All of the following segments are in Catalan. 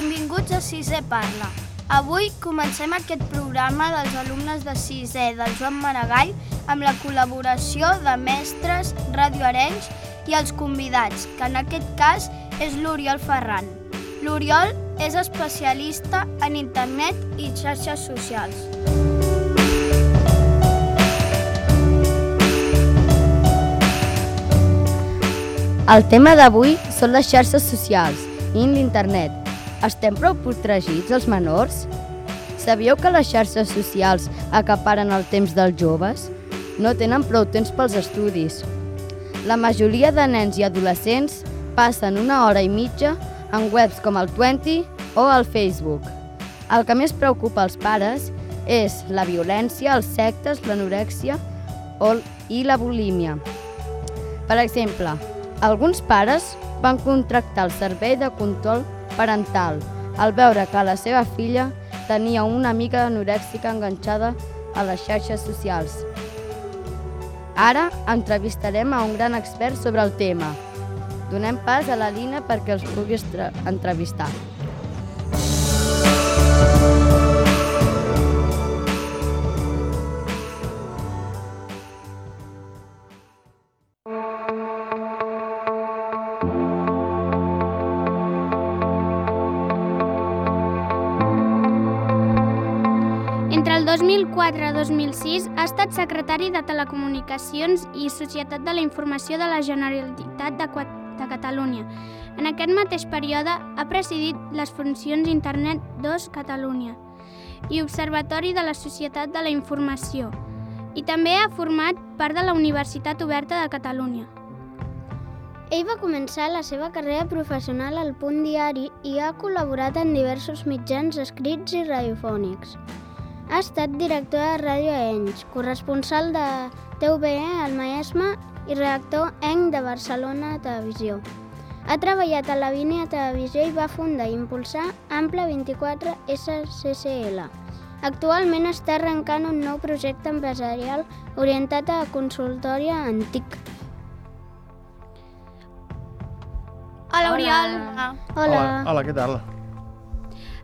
Benvinguts a Sisè Parla. Avui comencem aquest programa dels alumnes de sisè del Joan Maragall amb la col·laboració de mestres, Ràdio Arenys i els convidats, que en aquest cas és l'Oriol Ferran. L'Oriol és especialista en internet i xarxes socials. El tema d'avui són les xarxes socials i l'internet. Estem prou protegits els menors? Sabíeu que les xarxes socials acaparen el temps dels joves? No tenen prou temps pels estudis. La majoria de nens i adolescents passen 1 hora i mitja en webs com el 20 o el Facebook. El que més preocupa als pares és la violència, els sectes, l'anorèxia i la bulímia. Per exemple, alguns pares van contractar el servei de control parental al veure que la seva filla tenia una amiga anorèxica enganxada a les xarxes socials. Ara entrevistarem a un gran expert sobre el tema. Donem pas a la Lina perquè els pugui entrevistar. Entre el 2004 i 2006 ha estat secretari de Telecomunicacions i Societat de la Informació de la Generalitat de Catalunya. En aquest mateix període ha presidit les funcions Internet 2 Catalunya i Observatori de la Societat de la Informació, i també ha format part de la Universitat Oberta de Catalunya. Ell va començar la seva carrera professional al Punt Diari i ha col·laborat en diversos mitjans escrits i radiofònics. Ha estat director de Ràdio Arenys, corresponsal de TVE al Maresme i redactor ENC de Barcelona Televisió. Ha treballat a la Línia Televisió i va fundar i impulsar Ample 24 SCCL. Actualment està arrencant un nou projecte empresarial orientat a la consultoria en TIC. Hola, Oriol. Hola, què tal?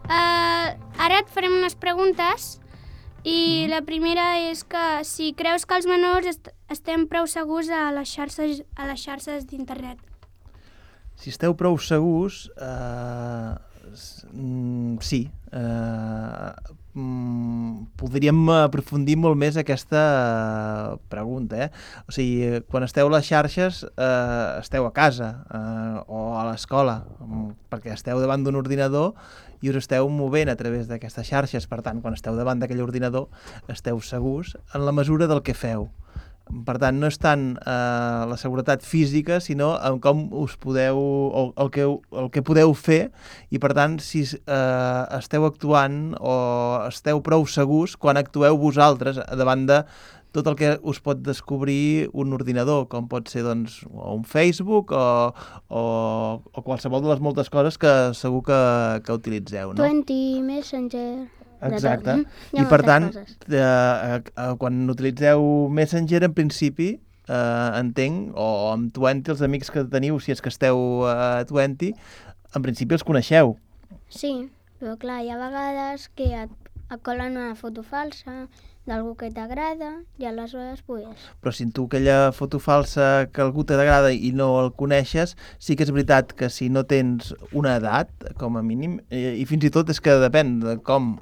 Ara et farem unes preguntes i la primera és que si creus que els menors estem prou segurs a les xarxes d'internet. Si esteu prou segurs, sí. Podríem aprofundir molt més aquesta pregunta. O sigui, quan esteu a les xarxes, esteu a casa o a l'escola, perquè esteu davant d'un ordinador i us esteu movent a través d'aquestes xarxes. Per tant, quan esteu davant d'aquell ordinador, esteu segurs en la mesura del que feu. Per tant, no és tant la seguretat física, sinó en com us podeu, el que podeu fer, i per tant, si esteu actuant o esteu prou segurs quan actueu vosaltres davant de tot el que us pot descobrir un ordinador, com pot ser doncs, un Facebook o qualsevol de les moltes coses que segur que utilitzeu. No? 20, Messenger... Exacte. I per tant, quan utilitzeu Messenger, en principi, entenc, o amb 20, els amics que teniu, si és que esteu a 20, en principi els coneixeu. Sí, però clar, hi ha vegades que et colen una foto falsa d'algú que t'agrada i aleshores pues... Però si tu aquella foto falsa que algú t'agrada i no el coneixes, sí que és veritat que si no tens una edat, com a mínim, i fins i tot és que depèn de com,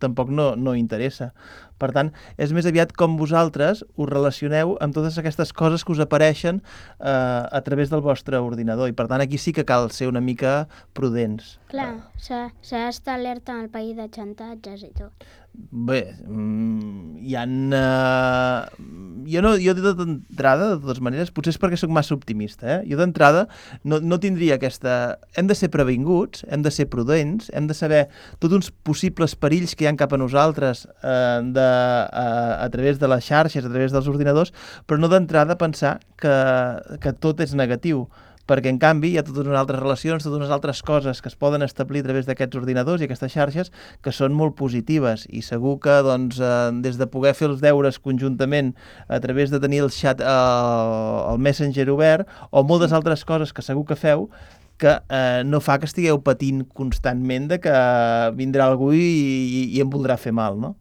tampoc no interessa. Per tant, és més aviat com vosaltres us relacioneu amb totes aquestes coses que us apareixen a través del vostre ordinador. I per tant, aquí sí que cal ser una mica prudents. Clar, s'ha d'estar alerta en el país de xantatges i tot. Bé, hi ha... Jo d'entrada, de totes maneres, potser és perquè sóc massa optimista, Jo d'entrada no tindria aquesta... Hem de ser previnguts, hem de ser prudents, hem de saber tots uns possibles perills que hi ha cap a nosaltres a través de les xarxes, a través dels ordinadors, però no d'entrada pensar que tot és negatiu. perquè en canvi hi ha totes unes altres relacions, totes unes altres coses que es poden establir a través d'aquests ordinadors i aquestes xarxes que són molt positives, i segur que doncs, des de poder fer els deures conjuntament a través de tenir el xat, el Messenger obert, o moltes altres coses que segur que feu, que no fa que estigueu patint constantment de que vindrà algú i em voldrà fer mal, no?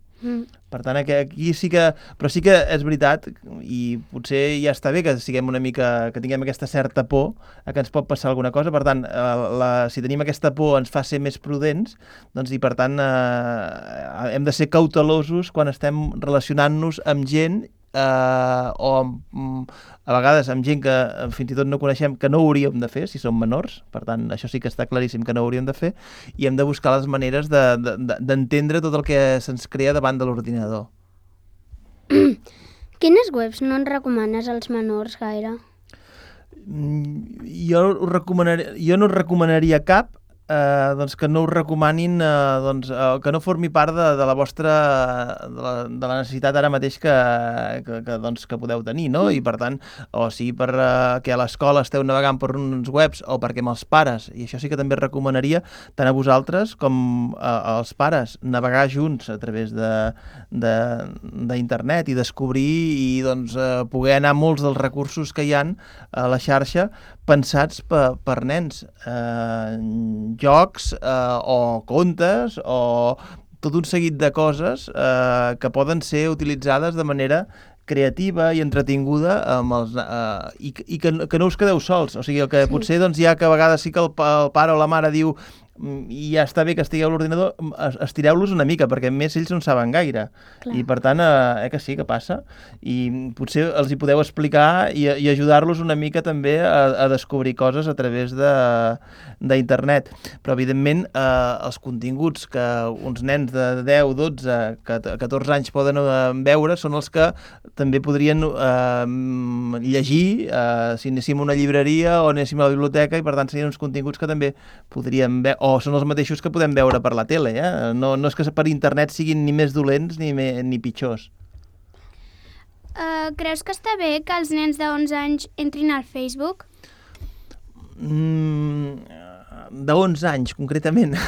Per tant, aquí sí que... Però sí que és veritat, i potser ja està bé que siguem una mica... que tinguem aquesta certa por a que ens pot passar alguna cosa. Per tant, si tenim aquesta por ens fa ser més prudents, doncs, i per tant hem de ser cautelosos quan estem relacionant-nos amb gent o a vegades amb gent que fins i tot no coneixem, que no ho hauríem de fer si som menors. Per tant, això sí que està claríssim que no ho hauríem de fer, i hem de buscar les maneres d'entendre tot el que se'ns crea davant de l'ordinador. Quines webs no en recomanes als menors gaire? Jo no recomanaria cap, doncs que no us recomanin, que no formi part de la vostra de la necessitat ara mateix que podeu tenir, no? I per tant, o sigui, que a l'escola esteu navegant per uns webs, o perquè amb els pares, i això sí que també recomanaria tant a vosaltres com als pares, navegar junts a través d'internet i descobrir i doncs poder anar a molts dels recursos que hi ha a la xarxa pensats per nens, jocs o contes o tot un seguit de coses que poden ser utilitzades de manera creativa i entretinguda i que no us quedeu sols. O sigui, el que potser doncs, ja que a vegades sí que el pare o la mare diu i ja està bé que estigueu a l'ordinador, estireu-los una mica, perquè més ells no en saben gaire. Clar. I per tant, que sí, que passa. I potser els hi podeu explicar i ajudar-los una mica també a descobrir coses a través d'internet. Però, evidentment, els continguts que uns nens de 10, 12, 14 anys poden veure són els que també podrien llegir si anéssim a una llibreria o anéssim a la biblioteca, i per tant serien uns continguts que també podríem veure, o són els mateixos que podem veure per la tele, No és que per internet siguin ni més dolents ni pitjors. Creus que està bé que els nens de 11 anys entrin al Facebook? De 11 anys, concretament.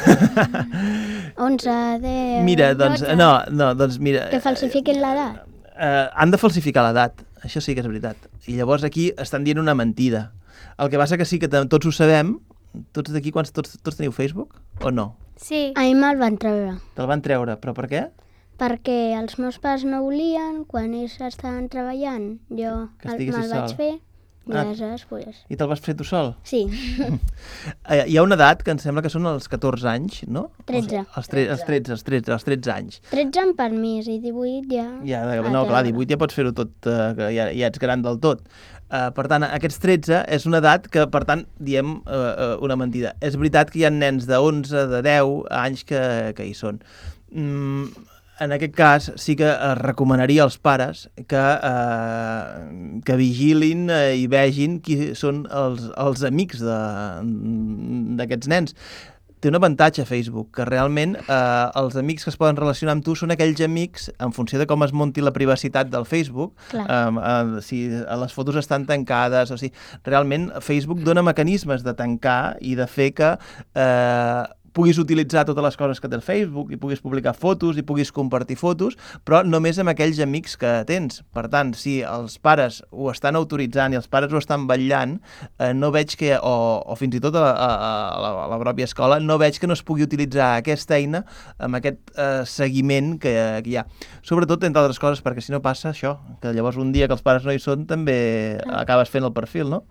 11, 10... Mira, doncs, 12. no, doncs mira... Que falsifiquin l'edat. Han de falsificar l'edat, això sí que és veritat. I llavors aquí estan dient una mentida. El que passa que sí que tots ho sabem. Tots d'aquí, tots teniu Facebook o no? Sí. A mi me'l van treure. Te'l van treure, però per què? Perquè els meus pares no volien, quan ells estaven treballant, jo me'l vaig fer, i aleshores, pues... I te'l vas fer tu sol? Sí. Hi ha una edat que em sembla que són els 14 anys, no? 13. Els 13 anys. 13 amb permís, i 18 ja... No, clar, 18 ja pots fer-ho tot, que ja ets gran del tot. Per tant, aquests 13 és una edat que, per tant, diem una mentida. És veritat que hi ha nens de 11, de 10 anys que hi són. En aquest cas, sí que recomanaria als pares que vigilin i vegin qui són els amics d'aquests nens. Té un avantatge Facebook, que realment els amics que es poden relacionar amb tu són aquells amics, en funció de com es monti la privacitat del Facebook, si les fotos estan tancades, o sigui, realment Facebook dona mecanismes de tancar i de fer que puguis utilitzar totes les coses que té el Facebook i puguis publicar fotos i puguis compartir fotos, però només amb aquells amics que tens. Per tant, si els pares ho estan autoritzant i els pares ho estan vetllant, no veig que, o fins i tot a la pròpia escola, no veig que no es pugui utilitzar aquesta eina amb aquest seguiment que hi ha. Sobretot, entre altres coses, perquè si no passa això, que llavors un dia que els pares no hi són també acabes fent el perfil, no?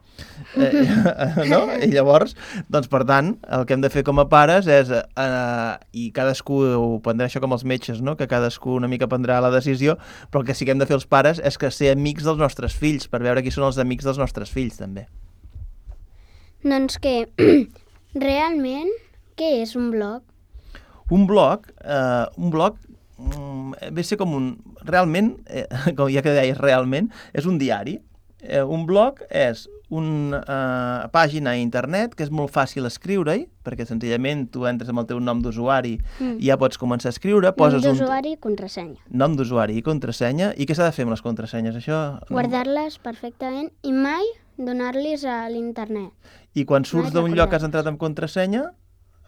No? I llavors, doncs per tant, el que hem de fer com a pares és, i cadascú ho prendrà això com els metges, no? Que cadascú una mica prendrà la decisió, però el que sí que hem de fer els pares és que ser amics dels nostres fills, per veure qui són els amics dels nostres fills, també. Doncs que, realment, què és un blog? Un blog ve a ser com un... Realment, com ja que deies realment, és un diari. Un blog és una pàgina a internet que és molt fàcil escriure-hi, perquè senzillament tu entres amb el teu nom d'usuari i ja pots començar a escriure. Nom d'usuari i contrasenya. Nom d'usuari i contrasenya. I què s'ha de fer amb les contrasenyes? Això... Guardar-les perfectament i mai donar-les a l'internet. I quan surts d'un lloc que has entrat amb contrasenya,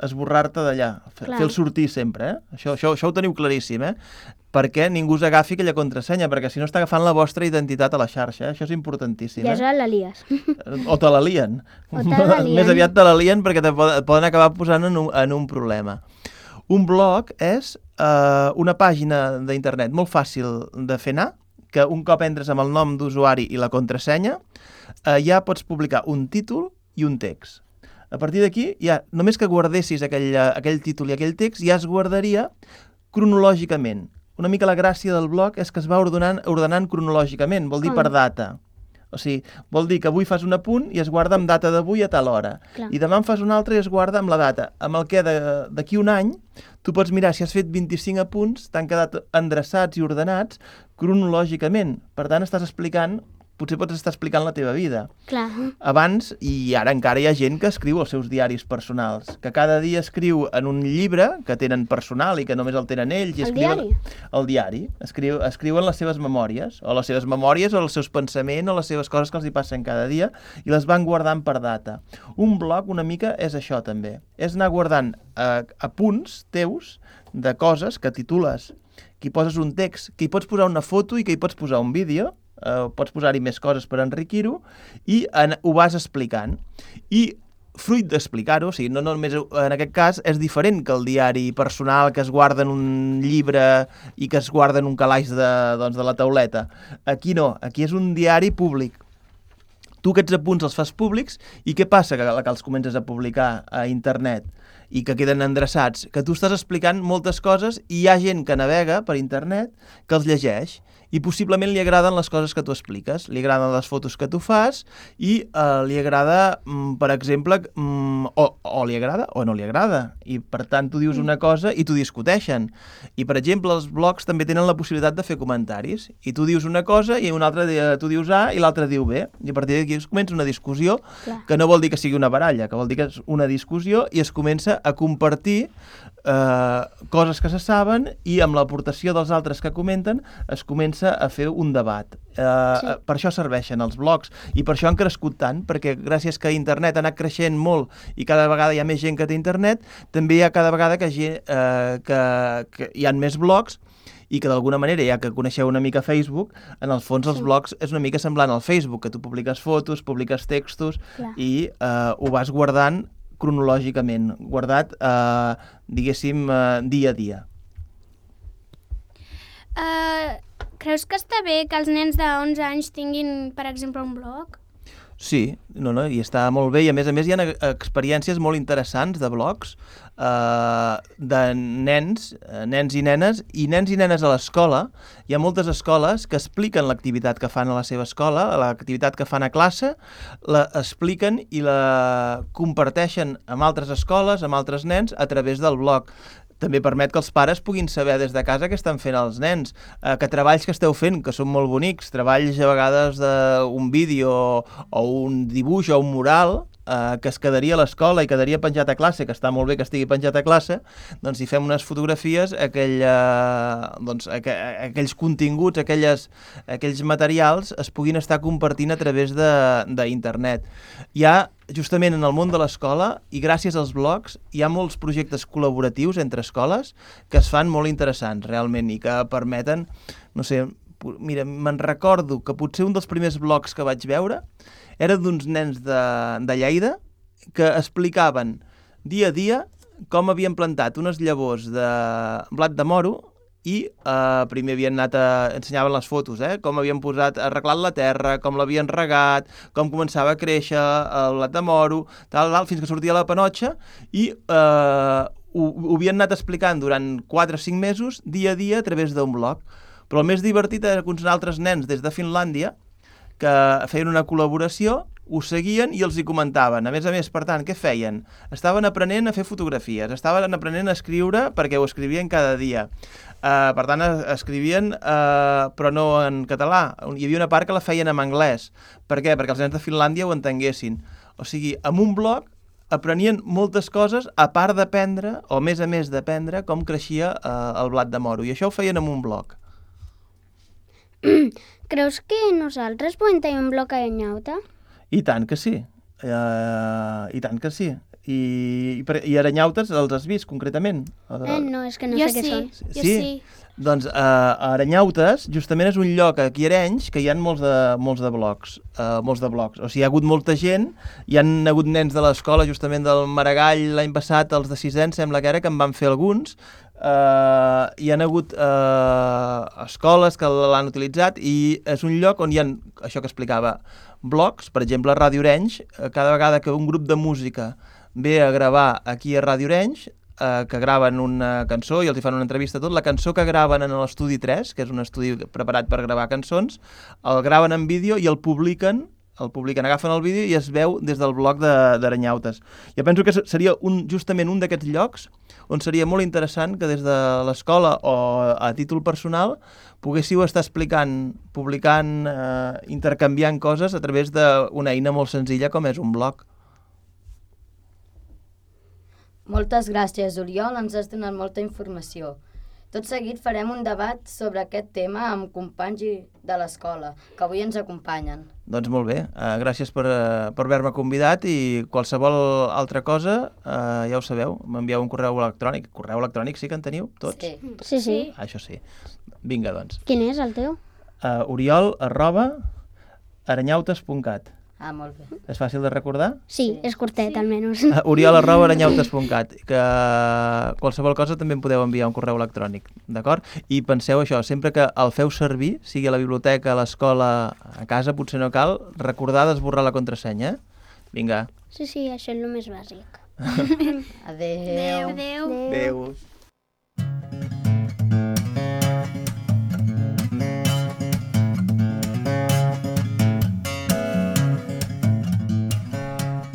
esborrar-te d'allà, Clar. fer-el sortir sempre, Això ho teniu claríssim, perquè ningú us agafi aquella contrasenya, perquè si no està agafant la vostra identitat a la xarxa, Això és importantíssim, I això la lies. O te la lien. O te la lien. Més aviat te la lien perquè et poden acabar posant en un problema. Un blog és una pàgina d'internet molt fàcil de fer anar, que un cop entres amb el nom d'usuari i la contrasenya, ja pots publicar un títol i un text. A partir d'aquí, ja només que guardessis aquell títol i aquell text, ja es guardaria cronològicament. Una mica la gràcia del blog és que es va ordenant cronològicament, vol dir per data. O sigui, vol dir que avui fas un apunt i es guarda amb data d'avui a tal hora. Clar. I demà en fas un altre i es guarda amb la data. Amb el que d'aquí un any tu pots mirar si has fet 25 apunts, t'han quedat endreçats i ordenats cronològicament. Per tant, potser pots estar explicant la teva vida. Clar. Abans, i ara encara hi ha gent que escriu els seus diaris personals, que cada dia escriu en un llibre que tenen personal i que només el tenen ells. I el diari. Escriuen les seves memòries, o els seus pensaments, o les seves coses que els hi passen cada dia, i les van guardant per data. Un blog una mica és això també. És anar guardant apunts teus de coses que titules, que hi poses un text, que hi pots posar una foto i que hi pots posar un vídeo, pots posar-hi més coses per enriquir-ho, i ho vas explicant. I fruit d'explicar-ho, o sigui, no només en aquest cas, és diferent que el diari personal que es guarda en un llibre i que es guarda en un calaix de la tauleta. Aquí no, aquí és un diari públic. Tu aquests apunts els fas públics i què passa que els comences a publicar a internet i que queden endreçats? Que tu estàs explicant moltes coses i hi ha gent que navega per internet que els llegeix i possiblement li agraden les coses que tu expliques, li agraden les fotos que tu fas i li agrada, per exemple, o li agrada o no li agrada. I per tant tu dius una cosa i t'ho discuteixen. I per exemple els blogs també tenen la possibilitat de fer comentaris i tu dius una cosa i un altre tu dius A i l'altre diu B. I a partir d'aquí es comença una discussió que no vol dir que sigui una baralla, que vol dir que és una discussió i es comença a compartir coses que se saben i amb l'aportació dels altres que comenten es comença a fer un debat. Per això serveixen els blogs i per això han crescut tant, perquè gràcies que internet ha anat creixent molt i cada vegada hi ha més gent que té internet, també hi ha cada vegada que hi ha més blogs i que d'alguna manera, ja que coneixeu una mica Facebook, en el fons els blogs és una mica semblant al Facebook, que tu publiques fotos, publiques textos i ho vas guardant cronològicament, guardat, diguéssim, dia a dia. Creus que està bé que els nens de 11 anys tinguin, per exemple, un blog? Sí, i està molt bé, i a més hi ha experiències molt interessants de blogs de nens i nenes a l'escola. Hi ha moltes escoles que expliquen l'activitat que fan a la seva escola, l'activitat que fan a classe, la expliquen i la comparteixen amb altres escoles, amb altres nens, a través del blog. També permet que els pares puguin saber des de casa què estan fent els nens, que treballs que esteu fent, que són molt bonics, treballs a vegades d'un vídeo o un dibuix o un mural, que es quedaria a l'escola i quedaria penjat a classe, que està molt bé que estigui penjat a classe, doncs si fem unes fotografies, aquells continguts, aquells materials es puguin estar compartint a través d'internet. Hi ha, justament en el món de l'escola, i gràcies als blogs, hi ha molts projectes col·laboratius entre escoles que es fan molt interessants, realment, i que permeten, no sé, mira, me'n recordo que potser un dels primers blogs que vaig veure era d'uns nens de Lleida que explicaven dia a dia com havien plantat unes llavors de blat de moro i primer havien ensenyaven les fotos, com havien arreglat la terra, com l'havien regat, com començava a créixer el blat de moro, fins que sortia la panotxa i ho havien anat explicant durant 4 o 5 mesos, dia a dia, a través d'un blog. Però el més divertit era que uns altres nens des de Finlàndia que feien una col·laboració, ho seguien i els hi comentaven. A més, per tant, què feien? Estaven aprenent a fer fotografies, estaven aprenent a escriure perquè ho escrivien cada dia. Per tant, escrivien, però no en català. Hi havia una part que la feien en anglès. Per què? Perquè els nens de Finlàndia ho entenguessin. O sigui, amb un blog aprenien moltes coses, a part d'aprendre, o a més d'aprendre, com creixia el blat de moro. I això ho feien amb un blog. Creus que nosaltres podem tenir un blog a Nyauta? I tant que sí. I tant que sí. I Aranyautes els has vist, concretament? No, és que no Jo sé què sí. són. Jo sí. Doncs a Aranyautes justament és un lloc aquí a Arenys que hi ha molts de blogs. O sigui, hi ha hagut molta gent, hi han hagut nens de l'escola justament del Maragall l'any passat, els de 6è, em sembla que era, que en van fer alguns. Hi han hagut escoles que l'han utilitzat i és un lloc on hi ha, això que explicava, blogs, per exemple a Ràdio Arenys, cada vegada que un grup de música ve a gravar aquí a Ràdio Arenys, que graven una cançó i els hi fan una entrevista tot, la cançó que graven en l'estudi 3, que és un estudi preparat per gravar cançons, el graven en vídeo i el publiquen, agafen el vídeo i es veu des del blog d'Aranyautes. Jo penso que seria justament un d'aquests llocs on seria molt interessant que des de l'escola o a títol personal poguéssiu estar explicant, publicant, intercanviant coses a través d'una eina molt senzilla com és un blog. Moltes gràcies, Oriol, ens has donat molta informació. Tot seguit farem un debat sobre aquest tema amb companys de l'escola, que avui ens acompanyen. Doncs molt bé, gràcies per haver-me convidat i qualsevol altra cosa, ja ho sabeu, m'envieu un correu electrònic. Correu electrònic sí que en teniu, tots? Sí. Això sí. Vinga, doncs. Quin és el teu? oriol@aranyautes.cat. Molt bé. És fàcil de recordar? Sí, és curtet, almenys. oriol@aranyautes.cat, que qualsevol cosa també em podeu enviar un correu electrònic, d'acord? I penseu això, sempre que el feu servir, sigui a la biblioteca, a l'escola, a casa, potser no cal, recordar d'esborrar la contrasenya. Vinga. Sí, això és el més bàsic. Adéu. Adéu.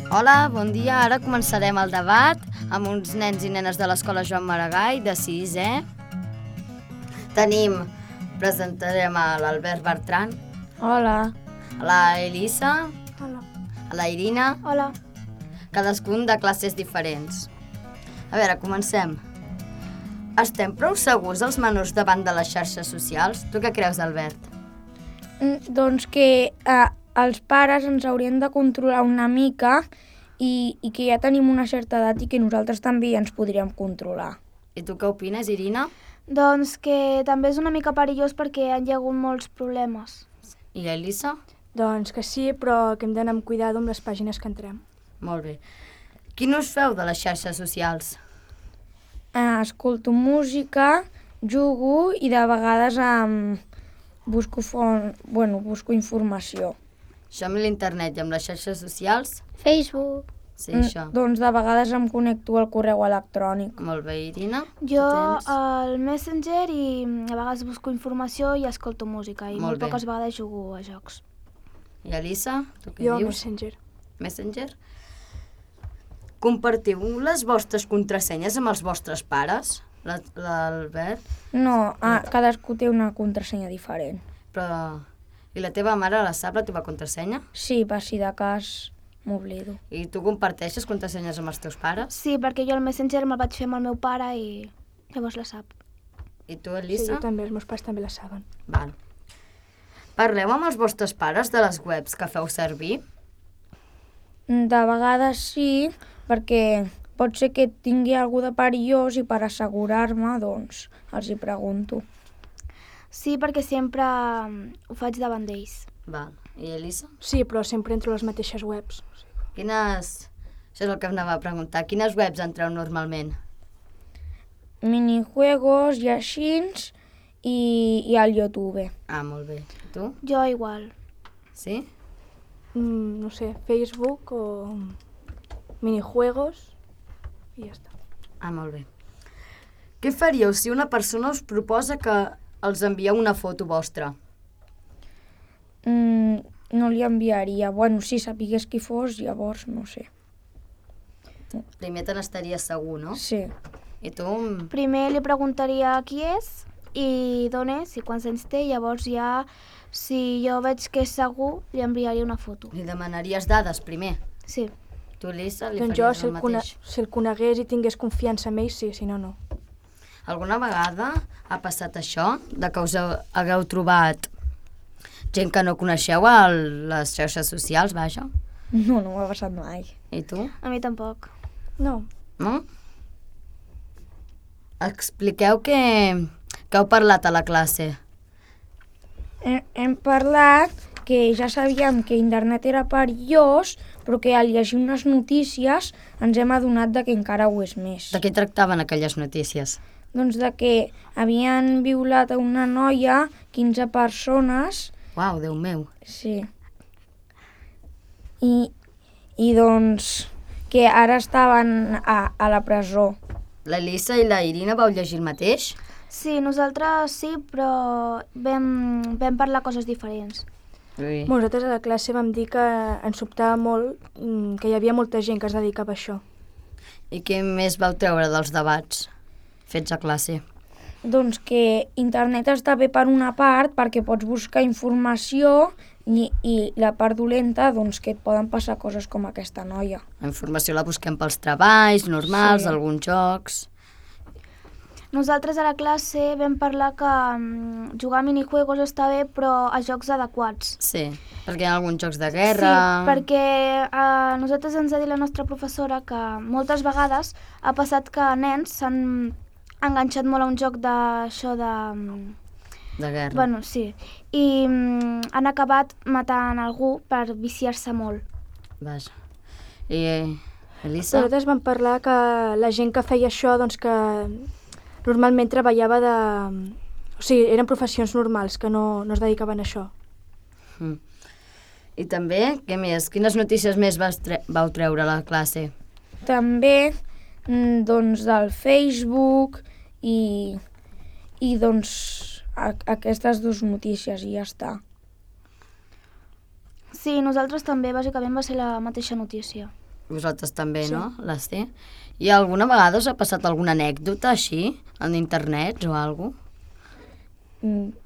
Hola, bon dia. Ara començarem el debat amb uns nens i nenes de l'escola Joan Maragall, de 6è. Presentarem a l'Albert Bertran, Hola. a la Elisa, Hola. a la Irina, Hola. cadascun de classes diferents. A veure, comencem. Estem prou segurs els menors davant de les xarxes socials? Tu què creus, Albert? Doncs que els pares ens haurien de controlar una mica i que ja tenim una certa edat i que nosaltres també ens podríem controlar. I tu què opines, Irina? Doncs que també és una mica perillós perquè hi ha hagut molts problemes. I l'Elisa? Doncs que sí, però que hem d'anar amb cuidado amb les pàgines que entrem. Molt bé. Quin us feu de les xarxes socials? Escolto música, jugo i de vegades busco informació. Això amb l'internet i amb les xarxes socials? Facebook. Sí, això. Doncs de vegades em connecto al correu electrònic. Molt bé, Irina? Jo Tu tens? al Messenger i a vegades busco informació i escolto música i Molt molt bé. poques vegades jugo a jocs. I Elisa? Tu què Jo, dius? Messenger. Messenger? Compartiu les vostres contrasenyes amb els vostres pares? L'Albert? No, cadascú té una contrasenya diferent. Però... I la teva mare la sap, la teva contrasenya? Sí, per si de cas m'oblido. I tu comparteixes contrasenyes amb els teus pares? Sí, perquè jo al Messenger me'l vaig fer amb el meu pare i llavors la sap. I tu, Sí, Elisa? jo també, els meus pares també la saben. Val. Parleu amb els vostres pares de les webs que feu servir? De vegades sí, perquè pot ser que tingui algú de perillós i per assegurar-me, doncs, els hi pregunto. Sí, perquè sempre ho faig davant d'ells. Val. I Elisa? Sí, però sempre entro a les mateixes webs. Quines... Això és el que em anava a preguntar. Quines webs entreu normalment? Minijuegos i així i al YouTube. Molt bé. I tu? Jo igual. Sí? No sé, Facebook o minijuegos i ja està. Molt bé. Què faríeu si una persona us proposa que els envieu una foto vostra? No li enviaria. Bueno, si sapigués qui fos, llavors no sé. Primer te n'estaries segur, no? Sí. I tu? Primer li preguntaria qui és i d'on és i quants anys té, llavors ja, si jo veig que és segur, li enviaria una foto. Li demanaries dades primer? Sí. Tu, Lisa, li Doncs jo, faries el mateix? si el conegués i tingués confiança en ell, sí, si no, no. Alguna vegada ha passat això, de que us hagueu trobat gent que no coneixeu a les xarxes socials, vaja? No m'ha passat mai. I tu? A mi tampoc. No. No? Expliqueu què heu parlat a la classe. Hem parlat que ja sabíem que internet era perillós, però que al llegir unes notícies ens hem adonat que encara ho és més. De què tractaven aquelles notícies? Doncs de que havien violat a una noia, 15 persones. Uau, Déu meu. Sí. I doncs que ara estaven a la presó. L'Elisa i la Irina vau llegir el mateix? Sí, nosaltres sí, però vam parlar coses diferents. Ui. Nosaltres a la classe vam dir que ens sobtava molt que hi havia molta gent que es dedicava a això. I què més vau treure dels debats fets a classe? Doncs que internet està bé per una part perquè pots buscar informació i la part dolenta doncs que et poden passar coses com aquesta noia. La informació la busquem pels treballs normals, Sí. alguns jocs... Nosaltres a la classe vam parlar que jugar a minijuegos està bé, però a jocs adequats. Sí, perquè hi ha alguns jocs de guerra... Sí, perquè a nosaltres ens ha dit la nostra professora que moltes vegades ha passat que nens s'han enganxat molt a un joc d'això de... De guerra. Bueno, sí. I han acabat matant algú per viciar-se molt. Vaja. I Elisa? Nosaltres vam parlar que la gent que feia això, doncs que normalment treballava de... O sigui, eren professions normals, que no es dedicaven a això. I també, què més? Quines notícies més vau treure a la classe? També doncs del Facebook i doncs aquestes dues notícies i ja està. Sí, nosaltres també, bàsicament va ser la mateixa notícia. Vosaltres també, Sí. no? Les té? I alguna vegada us ha passat alguna anècdota així, en internet o alguna cosa?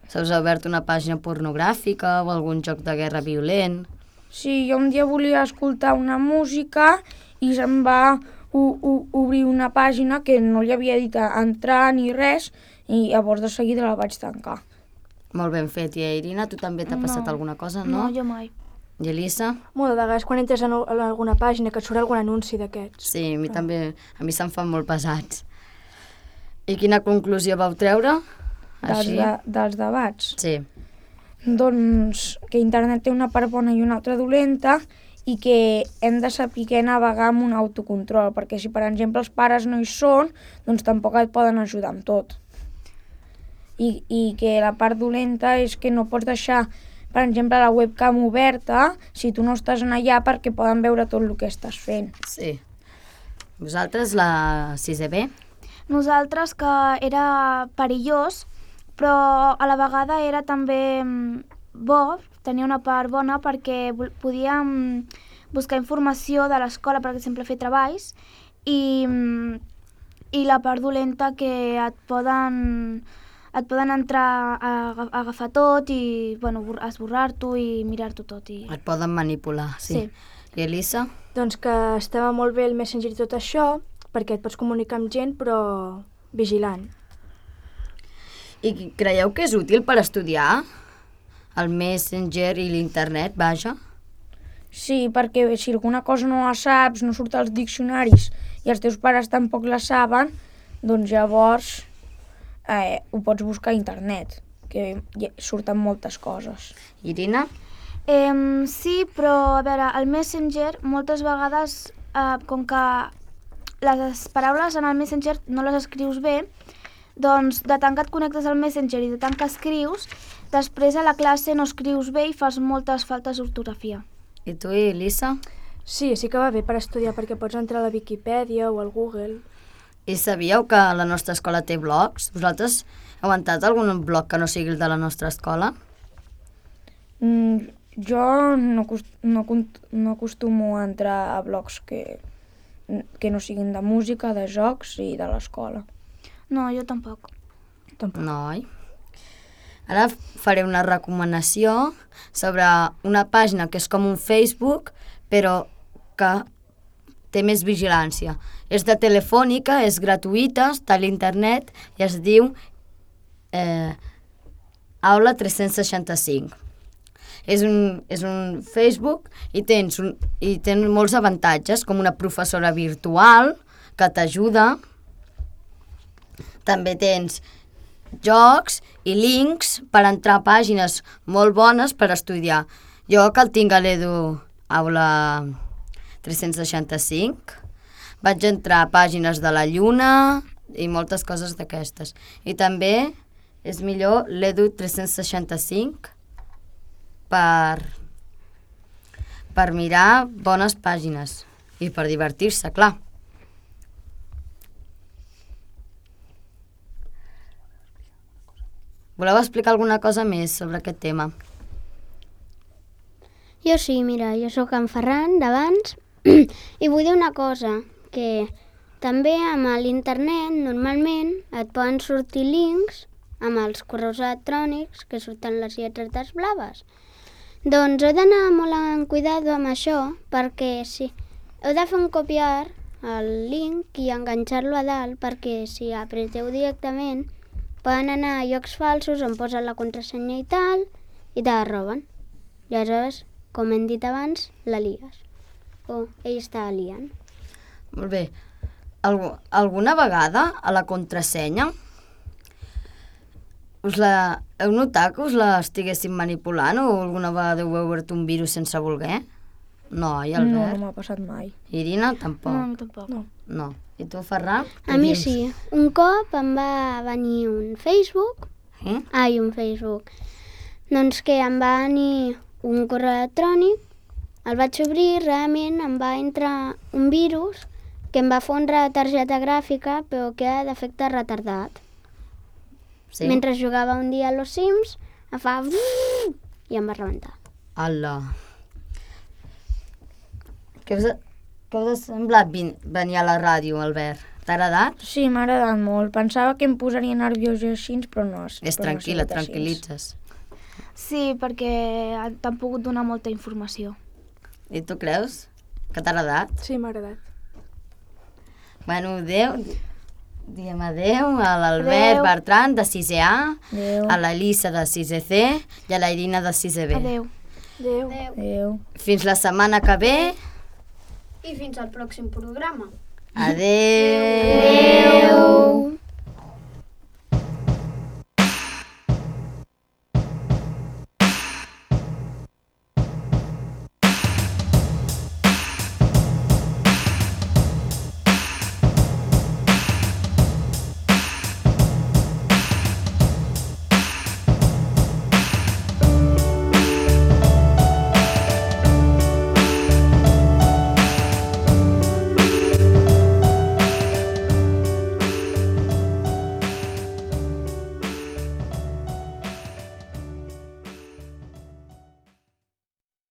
Se us ha obert una pàgina pornogràfica o algun joc de guerra violent? Sí, jo un dia volia escoltar una música i se'm va obrir una pàgina que no li havia dit entrar ni res i llavors de seguida la vaig tancar. Molt ben fet. I Irina, tu també t'ha passat alguna cosa, no? No, jo mai. I Elisa? Molt de vegades quan entres en alguna pàgina que et surt algun anunci d'aquests. Sí, a mi també, a mi se'm fan molt pesats. I quina conclusió vau treure? Així? Dels debats. Sí. Doncs que internet té una part bona i una altra dolenta i que hem de saber navegar amb un autocontrol, perquè si per exemple els pares no hi són, doncs tampoc et poden ajudar amb tot. I que la part dolenta és que no pots deixar, per exemple, la webcam oberta si tu no estàs en allà perquè poden veure tot el que estàs fent. Sí. Vosaltres, la 6è B? Nosaltres que era perillós, però a la vegada era també bo, tenia una part bona perquè podíem buscar informació de l'escola, per exemple, fer treballs, i la part dolenta que et poden entrar a agafar tot i esborrar-t'ho i mirar-t'ho tot. Et poden manipular, sí. I Elisa? Doncs que estava molt bé el Messenger i tot això, perquè et pots comunicar amb gent, però vigilant. I creieu que és útil per estudiar? El Messenger i l'internet, vaja? Sí, perquè si alguna cosa no la saps, no surt als diccionaris i els teus pares tampoc la saben, doncs llavors ho pots buscar a internet, que surten moltes coses. Irina? Sí, però a veure, el Messenger moltes vegades, com que les paraules en el Messenger no les escrius bé, doncs de tant que et connectes al Messenger i de tant que escrius, després a la classe no escrius bé i fas moltes faltes d'ortografia. I tu, Elisa? Sí, sí que va bé per estudiar, perquè pots entrar a la Viquipèdia o al Google. I sabíeu que la nostra escola té blogs? Vosaltres heu entrat algun blog que no sigui el de la nostra escola? Jo no acostumo a entrar a blogs que no siguin de música, de jocs i de l'escola. No, jo tampoc. No, oi? Ara faré una recomanació sobre una pàgina que és com un Facebook, però que té més vigilància. És de Telefònica, és gratuïta, està a l'internet i es diu Aula 365. és un Facebook i tens molts avantatges, com una professora virtual que t'ajuda. També tens jocs i links per entrar a pàgines molt bones per estudiar. Jo, que el tinc a l'Edu Aula 365, vaig entrar a pàgines de la Lluna i moltes coses d'aquestes. I també és millor l'Edu 365 per mirar bones pàgines i per divertir-se, clar. Voleu explicar alguna cosa més sobre aquest tema? Jo sí, mira, jo sóc en Ferran, d'abans, i vull dir una cosa, que també amb l'internet normalment et poden sortir links amb els correus electrònics que surten les lletres blaves. Doncs heu d'anar molt en cuidado amb això, perquè sí, heu de fer un copiar el link i enganxar-lo a dalt, perquè si apreteu directament poden anar a llocs falsos on posen la contrasenya i tal, i te la roben. I aleshores, com hem dit abans, la lies. O ell està liant. Molt bé. Alguna vegada a la contrasenya heu notat que us la estiguessin manipulant o alguna vegada heu obert un virus sense voler? No, i Albert? No m'ha passat mai. Irina, tampoc? No, tampoc. No. I tu, Ferran? A mi sí. Un cop em va venir un Facebook. Un Facebook. Doncs que em va venir un correu electrònic, el vaig obrir, realment em va entrar un virus que em va fondre la targeta gràfica, però que era d'efecte retardat. Sí. Mentre jugava un dia a los Sims, em fa... i em va rebentar. Ala. Què us ha semblat venir a la ràdio, Albert? T'ha agradat? Sí, m'ha agradat molt. Pensava que em posaria nerviós i així, però no. És tranquil·la, tranquil·litzes. Sí, perquè t'han pogut donar molta informació. I tu creus que t'ha agradat? Sí, m'ha agradat. Bueno, adéu. Diem adéu a l'Albert Bertran, de 6è A, a l'Elisa, de 6è C, i a la Irina, de 6è B. Adéu. Adéu. Fins la setmana que ve. I fins al pròxim programa. Adéu.